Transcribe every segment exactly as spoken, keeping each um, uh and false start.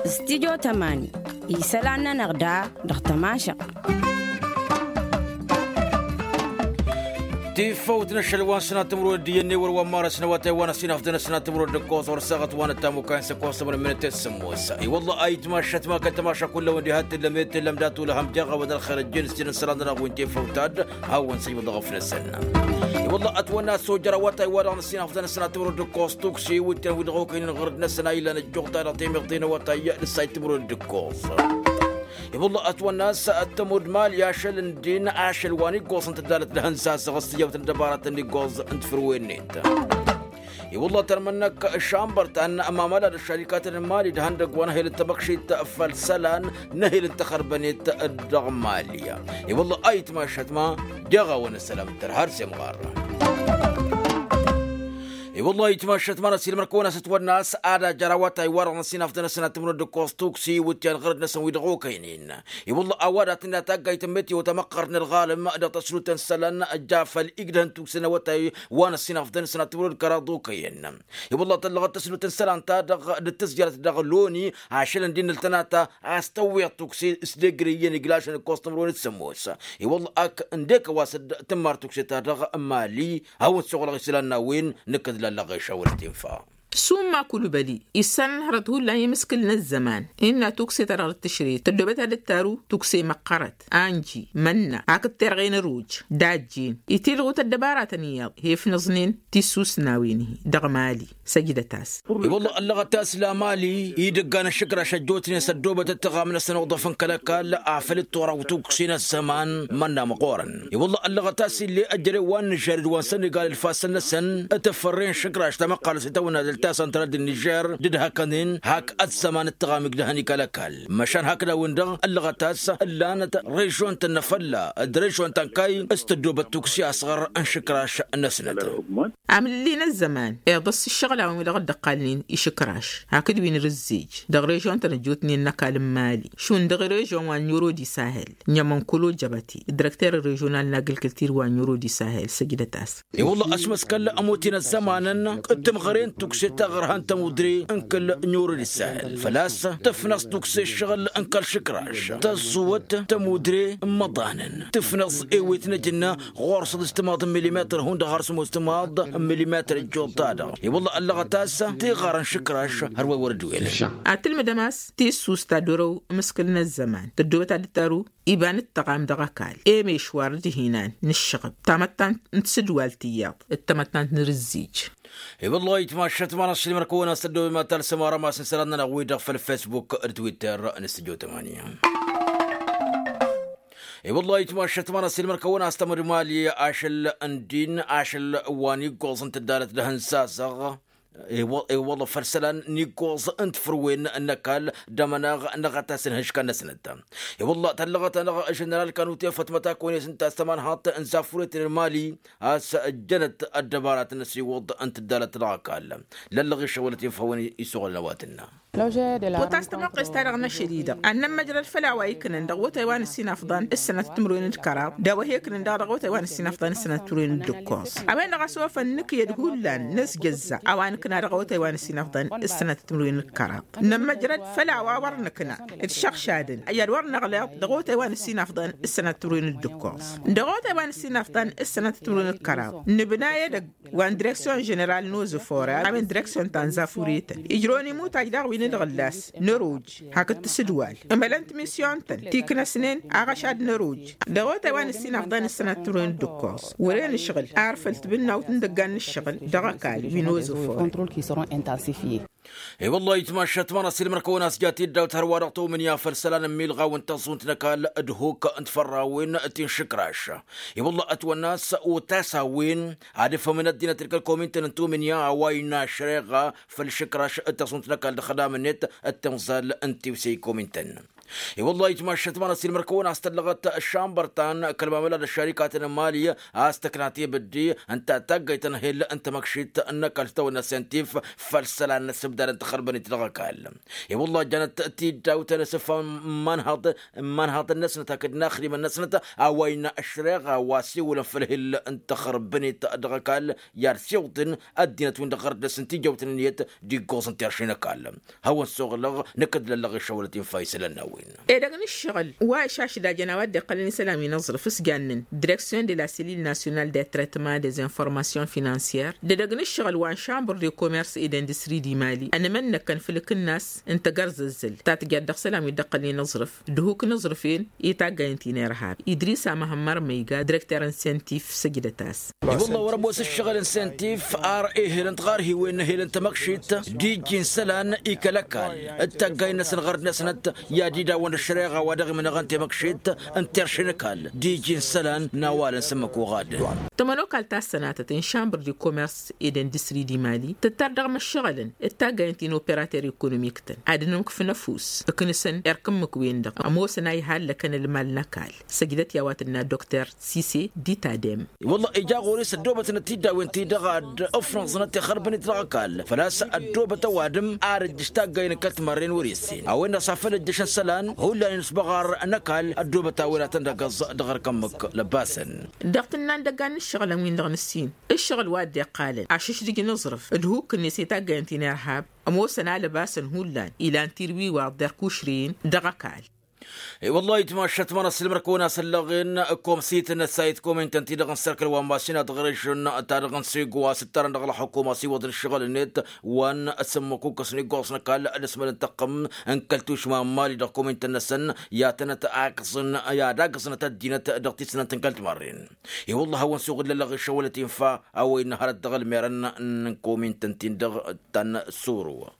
Stidyo tămani isălan-nănăɣ da dăɣ-tămašăɣt. Tifăwt n-ašăl wa n-sănat timǝrwed iyyăn n-ewăr wa n-marăs n-awătay wa n-ăsinafdăn ăsnat timǝrwed d-ǝkkoẓ wăr saɣăt wa n-ăttamukay n-săkkoẓ tămănămminăt i-sămmos. I-wălla ayǝtmašăt ma kăl-tămaša kull-awăn diha t-tǝllăm i-tǝllăm dat-ulăhăm deɣ a-wen ălxer ăjjeen s-jăn isălan-nănăɣ wi n-tifăwt ad-hawăn-săjbăḍ ăɣăf-năsăn. I-wălla ătwănna a-s ojăr awătay wa dăɣ-năsinafdăn ăsnat timǝrwed d-ǝkkoẓ tuksi iwǝtyan wi dăɣ-okăynen ɣur-dd-năsăn a illan ăjjuɣ-ta dăɣ-temiḍt i-năwătay d-ăssay timǝrwed d-ǝkkoẓ. I-wălla ătwănna a-s ăttămud mali ašăl n-din ašăl wa n-iggoẓ n-tăddarăt d-hăn sasăɣ s-tijawt n-dăbaratăn n-iggoẓ n-tafrǝwen-net. I-wălla tărmănnăk šambăr ta n-amamăla d-ăššarikatăn n-mali d-ihăndăgg wa n-ehel n-tamăkšit făll-isălan n-ehel n-taxărbănet dăɣ-mali. I-wălla a itmašăt ma deɣ a-wen ăssălam d-tărha har s-imɣar. I-wălla a itmašăt ma n-ăsilmăr-kăwăn-as ătwănna a-s ad-ajăr awătay wa-dăɣ n-ăsinafdăn ăsnat timǝrwed d-ǝkkoẓ tuksi iwǝtyan ɣărăt-năsăn wi dăɣ-okăynen. I-wălla a-wa dat-inna taggayt n-meteo tamăqqart n-ălɣalăm dăɣ-tăslut n-isălan ja făll-igdăh n-tukse n-awătay wa n-ăssinafdăn ăsnat timǝrwed d-kăraḍ okăyăn. I-wălla tăllăɣăt tăslut n-isălan-ta-dăɣ d-tǝzjărăt dăɣ-loni ašăl n-din ǝltănata a-s tăwweḍ tukse s-degre iyyăn iglašăn ǝkkoẓ timǝrwen d-sămmos. I-wălla ak ǝndek a-wa s-dd-tǝmmar tukse-ta-dăɣ n-mali hawăn-săɣlăɣ isălan n-a-wen nǝkkăd lallăɣ ešawăl tinfa. Summa kulubăli issan n-hărăt hullan i-mǝskǝl n-ăzzăman innă tukse-ta-dăɣ d-tǝšret tăddobăt ad-dd-taru tukse măqqărăt anji mănna hakd terɣe n-ăruj d-ajjen itilɣu tăddăbaratăn iyyăḍ hefnăẓnen tissusnawen-hi dăɣ-mali. Săjdăt-as. I-wălla ăllăɣăt a-s la mali idăggan ăššǝkraš ăjjootnen s-ăddoobăt ăttăɣam-năsăn uḍăf n-kăl-ăkall afăl d-turaw tukse n-ăzzăman mănna măɣorăn. I-wălla ăllăɣăt a-s ill'-e ăjrăy wa n-nǝžžăr d-wa n-sănnigal d-ifassăn-năsăn tǝfărre n-išǝkraš tamăqqalăt s-itawănna dăl-ta săntral d-nǝžžăr d-dd-hăkănen hak ăzzăman ǝttăɣam igdăhăn i-kăl-ăkall. Măšan hakd a-wen-dăɣ ăllăɣăt a-s ǝllanăt režion-tăn n-afălla d-režion ta n-kayy s-tăddoobăt tukse asɣăr n-išǝkraš-năsnăt. Amǝlli n-ăzzăman iḍăs ǝššăɣǝl a-wen wi dăɣ-dd-ăqqalnen išǝkraš hakd wi n-rǝzzej dăɣ-režion-tăn ăjjootnen n-ăkall n-mali šund dăɣ-režion wa n-oro d-isahel. N-imănkolo jăbăte direkter režional n-agrikultur wa n-oro d-isahel săjdăt-as. I-wălla ăšmăskăl ămoten ăzzămanăn d-timɣăre n-tukse taɣărha n-tămudre n-kăl-oro d-isahel făl-a-s tǝfnăẓ tukse ǝššăɣǝl n-kăl-išǝkraš tăẓẓuwăt tămudre n-imăḍanăn tǝfnăẓ ewet n-ajǝnna ɣur-săḍis timaḍ n-milimetăr hundăɣ har sămoos timaḍ n-milimetăr ăjjuḍ-ta-dăɣ. I-wălla ăllăɣăt a-s tiɣarăn išǝkraš hărwa i-wăr dd-welăn. Ad-tǝlmǝdăm a-s tissust ta dd-orăw amǝskǝl n-ăzzăman tăddoobăt ad-dd-taru iba n-ǝttăɣam dăɣ-ăkall emešwar d-ihinan n-ǝššăɣǝb tamăttant n-tisǝdwalt iyyăḍ d-tamăttant n-rǝzzij. I-wăllah itmašăt ma n-ašăl imărkăwăn a-s tăddoobem ad-talsăm arămas n-isălan-nănăɣ-wi-dăɣ făll-fesbuk d-twitter d-studio tămanya. I-wăllah itmašăt ma n-ašăl imărkăwăn a-s tămădmali ašăl n-din ašăl wa n-iggoẓ n-tǝddarăt d-ahǝnsasăɣ. I-wăllah făll-isălan n-iggoẓ n-tifrǝwen n-ăkall d-amănaɣ n-aɣătas n-ihǝškan-năsnăt. I-wăllah tăllăɣăt-anăɣ ženeral kanute fătmăt akăwăn-e-s ǝnta a-s tămanhaḍt n-zafuret n-mali a-s ǝjjănăt ăddăbarat n-asiwǝḍ n-tǝddarăt dăɣ-ăkall. Lăllăɣ išăwălăt i-făwăn isuɣǝlăn a-wa tǝnna. Pot a-s tămoqqes-ta-dăɣ n-ašăl-i-dăɣ ad-nămmăjrăd făll-a-wa iknăn dăɣ-awătay wa n-ăsinafḍan s-sănăt timǝrwen d-kăraḍ d-a-wa he-iknăn daɣ dăɣ-awătay wa n-ăsinafḍan s-sănăt timǝrwen d-ǝkkoẓ. A-wen-dăɣ a-s ofăn nǝkǝyăd hullan n-asjăzza a-wa nǝkna dăɣ-awătay wa n-ăsinafḍan s-sănăt timǝrwen d-kăraḍ. Nămmăjrăd făll-a-wa wăr nǝkna d-išăɣšadăn i-ad-wăr năɣleḍ dăɣ-awătay wa n-ăsinafḍan s-sănăt timǝrwen d-ǝkkoẓ. Dăɣ-awătay wa n-ăsinafḍan s-sănăt timǝrwen d-kăraḍ nǝbna edăgg wa n-direksyon ženeral n-ozăfore a-wen direksyon ta n-zafuretăn ijrăwăn imutaj daɣ wi n-ǝlɣǝllas n-ăroj hakd tisǝdwal. Ǝmălăn-t misyon-tăn ti iknăsnen aɣăšad n-ăroj dăɣ-otay wa n-ăssinafḍan s-sănăt timǝrwen d-ǝkkoẓ wăren ǝšɣǝl ar făl tibǝnnawt n-idăggan n-ǝššăɣǝl dăɣ-ăkall wi n-ozăfore. I-wăllah itmašat ma n-asilmăr-kăwăn a-s jat-dd dawt hărwa-dăɣ tomǝnya făll-isălan n-milɣaw n-taẓẓunt n-ăkall d-huk n-tifărrawen ti n-išǝkraš. I-wăllah ătwănna a-s otas a-wen ad-ǝfhămăn ăddinăt d-kăl-komintăn n-tomǝnya a-wa innă ašreɣa făll-išǝkraš d-taẓẓunt n-ăkall d-ăxdam-net d-timẓal n-tiwse i-komintăn. I-wălla-hi ǝjmaššăt ma n-ăssiilmăr-kăwăn a-s tăllăɣăt ăššambăr ta n-kăl-mamăla d-ăššarika-tăn n-mali a-s tăkna tebădde ǝnta taggayt ta n-ehel n-tamăkšit n-ăkall s-tawănna sentif făll-isălan n-ăssibdad n-taxărbănit dăɣ-ăkall. I-wălla-hi jănăt tiddawt n-asǝffa n-imanhaḍăn-năsnăt hakd n-axdimăn-năsnăt a-wa innă ăššăreɣa wa s-iwǝlăn făll-ehel n-taxărbănit dăɣ-ăkall i-ad-siwǝḍăn ăddinăt-win-dăɣ ɣărăt dăr-s n-tijăwt n-ǝnniyăt d-iggoẓ n-terše n-ăkall. Hawăn-suɣǝlăɣ năkk dd-lăllăɣ išăwălăt infa isălan n-a-wen. Edăgg n-ǝššăɣǝl wa išašdajăn a-wa dd-iqqălăn isălan wi n-aẓrǝf s-jannen direksyon de la selil nasyonal de tretman des informasyons finansyers d-edăgg n-ǝššăɣǝl wa n-šambăr de komers ed industri d-imali ănmănnăkăn făll-akǝnnas n-tagărzăzzăl ta tǝjăt dăɣ-isălan wi dd-iqqălăn i-n-aẓrǝf d-ehuk n-aẓrǝf-en i-taggayăn ti n-irhab idris amăhămmăr măyga direkter n-sentif săjdăt-as. I-wălla-hi wăr-ămoos ǝššăɣǝl n-sentif ar ehel n-tiɣarhiwen n-ehel n-tamăkšit d-iji n-isălan i-kăl-ăkall d-taggay-năsăn ɣărd-năsnăt i-ad-idawăn ăššăreɣa wa dăɣ-imǝnăɣăn temăkšit n-terše n-ăkall d-iji n-isălan n-awal n-sǝmmăk oɣadăn. Tămănokalt ta s-sănatăt n-šambăr de komers ed industri d-imali tǝttar dăɣ-imǝššăɣǝlăn d-taggayăn ti n-operater ekonomik-tăn ad-ănmǝk f-năfus ǝknǝsăn erk ǝmmǝk-wen-dăɣ ămoosăn a ihallăkăn ălmal n-ăkall săjdăt i-a-wa tǝnna dokter sise d-itadem. I-wălla-hi ija ɣur-e s-ăddoobătnăt tiddawen-ti-dăɣ ad-ǝfnăẓnăt ixărbăn-it dăɣ-ăkall făl-a-s ăddoobăt ăwadǝm ar ǝjjǝš taggayăn n-kăl-timărren wăr-e-ǝssen a-wen-dăɣ s-afăl ǝjjǝšăn isălan hullan-in s-băɣar n-ăkall ăddoobăt a-wen ad-tăn-dd-ăggăẓ dăɣ-erk ǝmmǝk lăbbasăn. Dăɣ-tǝnna n-idăggan n-ǝššăɣǝlăn-win-dăɣ nǝssin ǝššăɣǝl wa dd-iqqalăn ašǝšdǝj n-aẓrǝf d-hukkǝnnes i-taggayăn ti n-irhab ămoosăn alăbasăn hullan ilan tirwiwaḍ d-erk ušrǝyăn dăɣ-ăkall. I-wălla-hi ǝjmaššăt ma n-ăssiilmăr-kăwăn a-s ăllăɣen komsităn n-ăssayăt komintăn-ti-dăɣ n-serkăl wa n-masina dăɣ-režon-ta-dăɣ n-sigo a-s ǝttarăn dăɣ-ălxukuma s-iwwăḍ n-ǝššăɣǝl-net wa n-sǝmmăkukăs n-iggoẓ n-ăkall d-asmăl n-taqqǝm n-kăl-tušma n-mali dăɣ-komintăn-năsăn i-ad-tănăt-akẓǝn i-ad-akẓǝnăt ăddinăt dăɣ-tisnant n-kăl-timarren. I-wălla-hi a hawăn-suɣǝl lălăɣ išăwălăt infa a-wa innă hărăt dăɣ-ălmerăn n-komintăn-tin-dăɣ ta n-suru.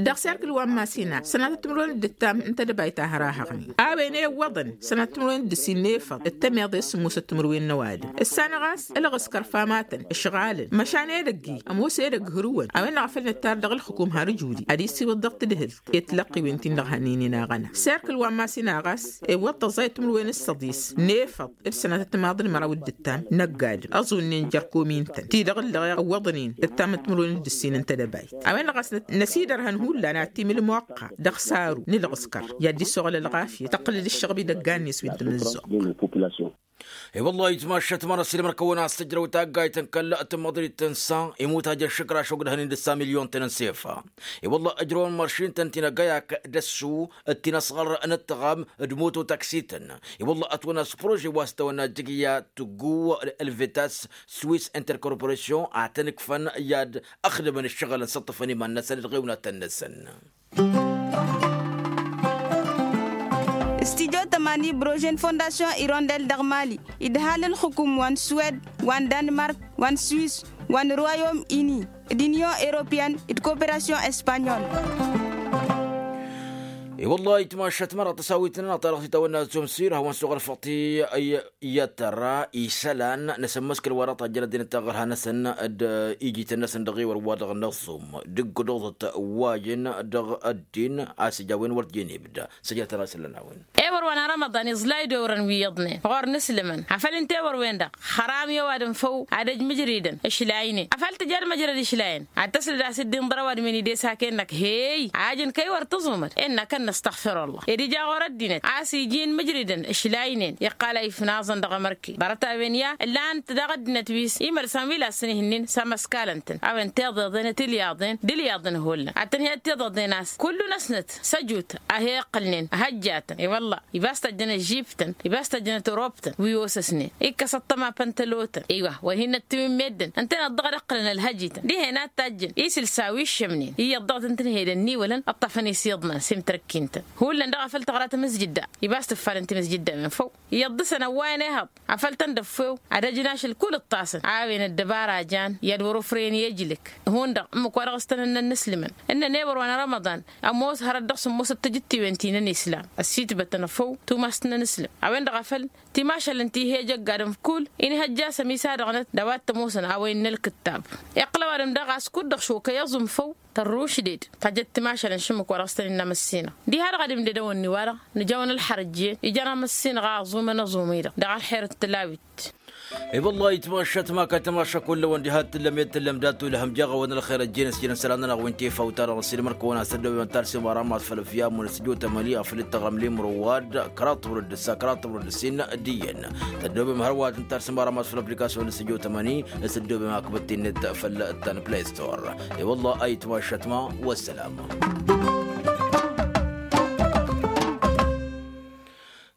Dăɣ-serkǝl wa n-masina sănatăt timǝrwen d-ǝttam n-tedăbayt a hărahăɣnen a-wen ewwăḍăn sănatăt timǝrwen d-ǝssin n-efăḍ d-tămeḍe s-sǝmmosăt timǝrwen n-ăwadǝm ǝssanăɣ a-s ǝlɣǝskăr famatăn ǝšɣalăn măšan edăgg-i ămoos edăgg hărǝwăn a-wen-dăɣ a făl nǝttar dăɣ-ǝlxǝkum har ǝjudi ad-isiwǝḍ dăɣ-tadhǝlt i-tǝlăqqiwen-tin-dăɣ hănen inaɣăna serkǝl wa n-masina ɣas ewwăḍ tăẓẓayăt timǝrwen s-săḍis n-efăḍ d-sănatăt timaḍ n-măraw d-ǝttam năgg-adǝm ăẓunnen jer-komintăn ti-dăɣ ǝllăɣeɣ ǝwwăḍnen ǝttam n-timǝrwen d-ǝssin n-tedăbayt a-wen-dăɣ a-s năsidărhăn hullan ad-t-imǝl moqqa dăɣ-saru n-ǝlɣǝskăr i-ad-dd-isuɣǝl ălɣafyăt tăqqǝl-dd ǝššăɣb idăggan-net wi n-tamǝzzuɣt. I-wălla-hi ǝjmaššăt ma n-ăssiilmăr-kăwăn a-s tǝjrăw taggayt n-kăl-tǝmmăḍrit n-sa imut hajăn šǝkraš ogdăhăn-in d-ǝssa milyon-tăn n-sefa. I-wălla-hi ǝjrăwăn măršin-tăn ti n-agăyak d-ăssu d-tinăsɣăr n-ǝṭṭăɣam d-moto taksităn. I-wălla-hi ătwănna s-prože wa s-tăwănna jǝgǝya tǝgguw ălvetas swis interkorporasyon ad-tăn-ǝkfăn i-ad-ăxdǝmăn ǝššăɣǝlăn s-ǝṭṭăfăn iman-năsăn d-ɣiwnatăn-năsăn. Studyo tămani brože n-fondasyon irondel dăɣ-mali idhal ǝlxǝkum wa n-swed wa n-danmark wa n-swis wa n-royom ini d-inyon europeyăn d-koperasyon espanyol. I-wălla-hi ǝjmaššăt mărăɣ tăsawit-nănăɣ ta dăɣ-titawănna zumsir hawăn-suɣăl făṭi i-tăra isălan n-asǝmmăskăl wa dăɣ-tajjăn ăddinăt taɣărha-năsăn d-ijităn-năsăn dăɣ-iwăr wa dăɣ-năẓum d-ǝggǝdoẓăt wa jăn dăɣ-ăddin a-s ija a-wen wăr t-jăn ibda. Săjdăt-năɣ isălan a-wen. Ewăr wa n-arămăḍan iẓlay d-orăn wi iyyăḍnen ɣur-inǝslǝmăn afăl ǝnta ewăr-wen-dăɣ xăram i-ăwadǝm făw ad-ăj mǝjridăn ǝšlaynen afăl tǝja d-măjrăd ǝšlayăn ad-tăslăd a-s dd-inḍăr ăwadǝm-in idesa-k-en-năk heyy a ăjǝn kăy-wăr tǝẓumăd innă kănnăstăɣfirăllah ed ija ɣur-ăddinăt a-s iji n-mǝjridăn ǝšlaynen iqqal a ifnaẓăn dăɣ-emărke ḍarăt-a-wen ya ǝllan-t daɣ ăddinăt wi s-imălsan wi la ăssănihǝnnin s-amăskalăn-tăn a-wen tiḍeḍen d-ilyaḍen hullan ad-tăn-hi-ăttiḍăḍnen a-s kullu-năsnăt s-ăjut a he-iqqǝlnen ăhăjjatăn i-wălla-hi ibas tăjjăn ăžžibtăn ibas tăjjăn ătrobtăn wi osăsnen ikkăs ăṭṭăma păntălotăn i-wa wăr hin-năttiwǝn meddǝn ǝntăneḍ dăɣ-dd-ǝqqǝlăn ălhăjităn dihen ad-tajjăn isilsa wi ǝššămnen iyyăḍ dăɣ-tăn-tǝnhedăn n-iwălăn ǝṭṭăfăn-i s-iḍman s-imtărăkkin-tăn hullan daɣ a făl tăɣra tamǝzjǝdda ibas tǝffalăn timǝzjǝdda a-wen făw iyyăḍ dăɣ-săn ăwwayăn ehăḍ afăl tăn-dd-ăffew ad-ăjnaš ălkull ǝṭṭasăn a-wen ăddăbara jan i-ad-wăr-ofrăyăn i-ejlǝk hundăɣ ǝmmǝk wa dăɣ-s tăn-ănnăn n-aslǝmăn ǝnnăn ewăr wa n-arămăḍan ămoos hărăt dăɣ-sǝmmosăt tijǝttiwen ti n-ănislam ăssitbătăn făw tumas n-anislam a-wen-dăɣ a făl timašal ǝnta ih'-e ejăgg adǝm kull inhăjja s-ămisadăɣnăt d-a-wa t-ămoosăn a-wa innă ălkǝttab iqqǝl ăwadǝm daɣ a-s kud-dăɣ šokăy ăẓum făw Tărrušded tajjăt timašal n-išǝmmǝk wa dăɣ-s tăn-innă măssinăɣ diha-dăɣ ad-imded a-wen-ni-wa-dăɣ nǝja-wăn ălxărăjjen. Ijăn amăssinăɣ a ăẓumăn aẓumǝy-dăɣ dăɣ-ălxer d-tǝlawit. I-wălla-hi tmašat ma kăl-tmaša kull-wăn diha t-tǝllăm i-d-tǝllăm dat-tulhăm jaɣ-awăn ălxer ăjjeen s-jăn isălan-nănăɣ wi n-tifaw-ta-dăɣ n-ăssiilmăr-kăwăn a-s tăddobem ăttar s-imăra ma s-făl ăfya ămmun s-tǝjot ămăni afăl dd-tăɣrăm limro wa d-kăraḍ timǝrwen d-ǝssa kăraḍ timǝrwen d-ǝssin d-iyyăn. Tăddobem hărwa tǝntar s-imăra ma s-făl ăplikasyon s-tǝjot ămăni s-tăddobem akbăt-in-net făll-ăttan play store. I-wălla a itmašat ma. Wăssălam.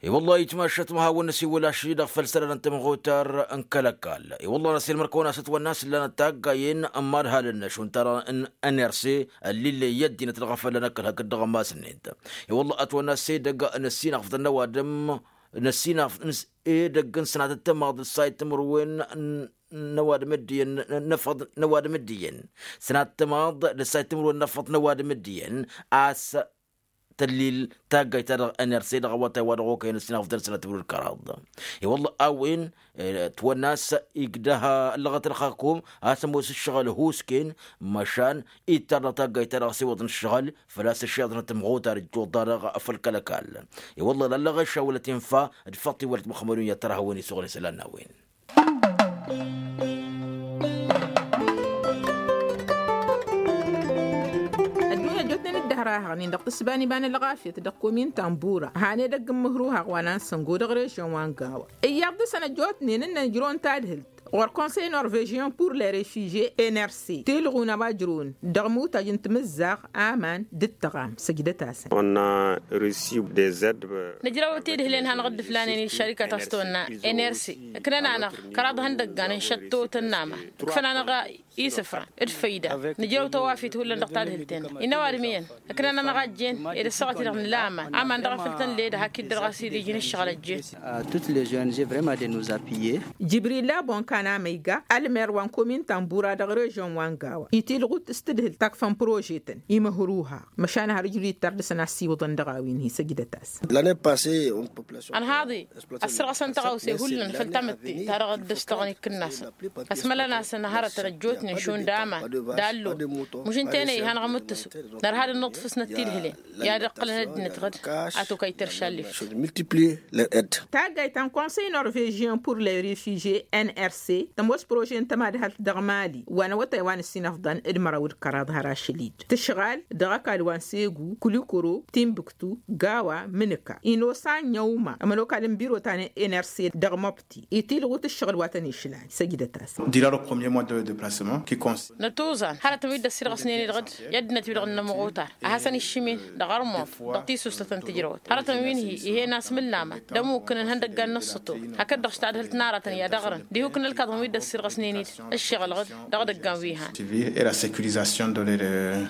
I-wălla-hi itmašat ma hawăn-năsiwăl ašăl-i-dăɣ făll-sălan n-tămɣutar n-kăl-ăkall. I-wălla năsiilmăr-kăwăn a-s ătwănna a-s ǝllan ătaggayăn n-imadhalăn n-ašund-ta-dăɣ n-nrc ăllillăy i-ăddinăt dăɣ-afălla n-ăkall hakd-dăɣ n-mass-net. I-wălla ătwănna a-s edăgg n-ăssinăɣfătăn n-ăwadǝm n-ăssinăɣfătăn edăgg n-sănatăt tămaḍ d-ăssayăt timǝrwen n-ăwadǝm ăddiyăn n-efăḍ n-ăwadǝm ăddiyăn sănatăt tămaḍ d-ăssayăt timǝrwen n-efăḍ n-ăwadǝm ăddiyăn a-s tăllil taggayt-ta-dăɣ nrc dăɣ-awătay wa dăɣ-okăyăn ăssinăɣfătăn sănatăt timǝrwen d-kăraḍ. I-wălla a-wen ătwănna a-s igdăh ăllăɣăt ălxakum a-s ămoos ǝššăɣǝl husken măšan ittar dăɣ-taggayt-ta-dăɣ s-iwwăḍăn ǝššăɣǝl făl-a-s ǝššăɣǝl n-ătmăɣutar ǝjjuḍ-ta-dăɣ făll-kăl-ăkall. I-wălla lallăɣ ešawălăt infa d-făṭṭ iwălăt măxmădun i-ad-tărhawăn isuɣǝl isălan n-a-wen. Ăddunya ăjjootnen d-ăhrahăɣnen dăɣ-tǝssǝba n-iba n-ălɣafyăt dăɣ-komin tambura han edăgg n-mǝhruhaɣ wa n-ansăngo dăɣ-režyon wa n-gawa. Iyyăḍ dăɣ-săn ăjjootnen ǝnnăn ǝjrăwăn tadhǝlt ɣur-konsăy norvežyon pur le refužye nrc tilɣun a-wa ǝjrăwăn dăɣ-imutaj n-timǝzzaɣ aman d-ǝttăɣam săjdăt-asăn. Nǝjrăw tidhǝlen hanăɣ-dd-ǝflanen i-ăššărikăt a-s tăwănna nrc ǝknăn-anăɣ kăraḍ ihăndăggan n-išăttootăn n-aman ǝkfăn-anăɣ isǝfran d-făyda. Nǝjrăw tawafit hullan dăɣ-tadhǝlt-en-dăɣ innă ăwadǝm iyyăn ǝknăn-anăɣ a ăjjeen ed ăssaɣăt-i-dăɣ nǝla aman aman dăɣ-afăl tăn-led hakd-dăɣ a-s dd-ijǝn ǝššăɣǝl ăjjeen. Toutes les ong vrăma de nous appuyer. Jibril labon kan amăyga ălmer wa n-komin tambura dăɣ-režyon wa n-gawa itilɣut s-tǝdhǝlt ta ǝkfăn prožetăn imǝhruha măšan har ǝjrǝw ittar dăɣ-săn a ăssiwǝḍăn dăɣ-a-wen hi-săjdăt-as. Ănhaḍ-i ăssărɣăsăn tăɣawse hullan făll-tamǝtte ta dăɣ-dd-ǝstăɣăn ikǝnnasăn ăsmălăn-asăn hărătăn ăjjootnen šund aman d-allo. Muš ǝnta-en-i hanăɣ-ămmǝttǝsu nărha d-ănnuḍfǝsnăt tidhǝlen i-ad-ǝqqǝlăn ăddinăt ɣǝd. A tokayt teršalleft. Taggayt ta n-konsăy norvežyen pur le refužye nrc tămoos prože n-tămadhalt dăɣ-mali wa n-awătay wa n-ǝssin ăfḍăn d-măraw d-kăraḍ har ašăl-i-dd tǝšɣal dăɣ-ăkall wa n-segu kulikuro timbuktu gawa mǝnǝka inosa n-inyăwma ămănokal n-biro ta n-nrc dăɣ-măbti itilɣut ǝššăɣǝl wa tăn-išlan săjdăt-as. Dira le premier mois de deplasement ki konsi. Nătuẓan hărătăn wi dd-ăssirɣăsnen-i-dăɣ dd-i ăddinăt-wi-dăɣ n-inămɣutar a hasăn-iššǝmen dăɣ-ărmuḍ dăɣ-tisusa ta n-tijrăwăt hărătăn wi n-hi-ihen asmǝllaman d-ămmukǝnăn ihăndăggan n-ǝssǝto hakd-dăɣ s-tadhǝlt n-aratăn i-ad-ăɣrǝn diha ukǝn ălkaḍăn wi dd-ăssirɣăsnen-dd ǝššăɣǝl-ɣǝd dăɣ-idăggan wi han. Civil et la securisation de leur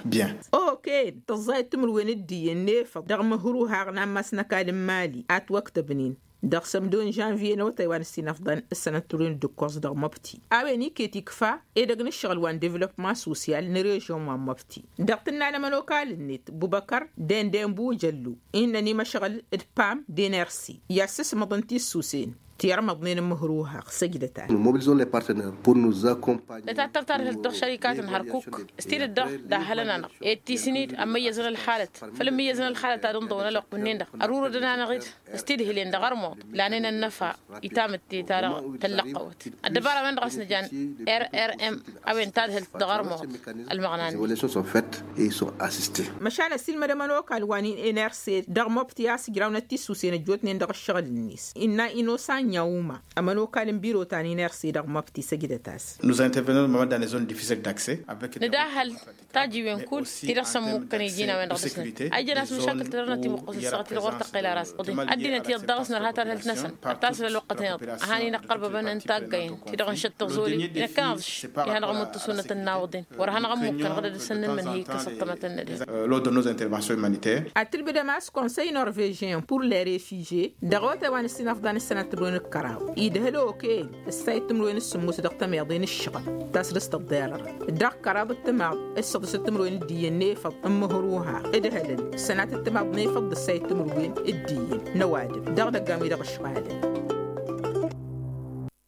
bien. Oken tǝẓẓayăt timǝrwen d-iyyăn n-efăḍ dăɣ-imǝhruhaɣ n-ammas n-ăkall n-mali a ătwăktăbnen dăɣ-sămdo n-žănvye n-awătay wa n-ǝssin ăfḍăn s-sănăt timǝrwen d-ǝkkoẓ dăɣ-măbti. A-wen iket ikfa edăgg n-ǝššăɣǝl wa n-devlopma sosyal n-režyon wa n-măbti dăɣ-tǝnna n-ămănokal-net bubăkăr dende n-bujăllu innăn imăšɣăl d-pam d-enersi i-ad-sǝsmăḍăn tissusen ti ărmăḍnen n-imǝhruhaɣ săjdăt-as. Nătattăr tadhǝlt dăɣ-šărikatăn hărkuk s-tidǝt-dăɣ dahhălăn-anăɣ ed tisǝnid ămmăyyăzăn ălxalăt făll-ămmăyyăzăn ălxalăt ad-ǝnḍăwăn ălwăqq-ǝnnin-dăɣ ărurădăn-anăɣ-dd s-tidhǝlen dăɣ-ărmuḍ lanen ănnăfa i-tamǝtte-ta-dăɣ tăllăqqăwăt. Ăddăbara-wen-dăɣ a-s nǝjan rrm a-wen tadhǝlt dăɣ-ărmuḍ ălmăɣna-net. Măšan ăsiilmăd ămănokal wa n-enerse dăɣ-măbti a-s ǝjrawnăt tisusen ăjjootnen dăɣ-ǝššăɣǝl-net innă inosa n-inyăwma ămănokal n-biro ta n-enerse dăɣ-măbti săjdăt-as. Nǝdahăl tajiwen kull ti-dăɣ s-ămmukkăn iji n-a-wen-dăɣ dăɣ-săn a ijăn a-s măšakǝl tadărnăt imuqqǝs ǝssaɣăt-i-dăɣ wăr tăqqel ara s-ăḍen ăddinăt iyyăḍ daɣ s-nărha tadhǝlt-năsăn ad-tasǝl ălwăqqăt-en-dăɣ a han-in-ăqqărbăbăn n-taggayăn ti-dăɣ n-išăttăẓ olin inăkkăn-aḍ-š i-hanăɣ-ămmuttǝsunăt n-inawăḍen wăr hanăɣ-ămmukkăn ɣǝdăd s-ănnǝmmǝnhǝy kăsăṭṭămătăn n-ădhǝl. Lord de nos interventions humanitaires. Ad-tǝlbǝdăm a-s konsăy norvežyen pur le refužye dăɣ-otay wa n-ǝssin ăfḍăn s-sănat timǝrwen d-kăraḍ idhăl okăyăn ǝssayăt timǝrwen s-sǝmmos dăɣ-tămeḍe n-ǝššăɣǝl ta s-dăɣ-s tăḍḍerăr dăɣ-kăraḍ d-timaḍ s-săḍǝsăt timǝrwen d-iyyăn n-efăḍ n-imǝhruha d-ehălăn sănatăt timaḍ n-efăḍ d-ǝssayăt timǝrwen d-iyyăn n-ăwadǝm dăɣ-idăggan wi dăɣ-ǝšɣalăn.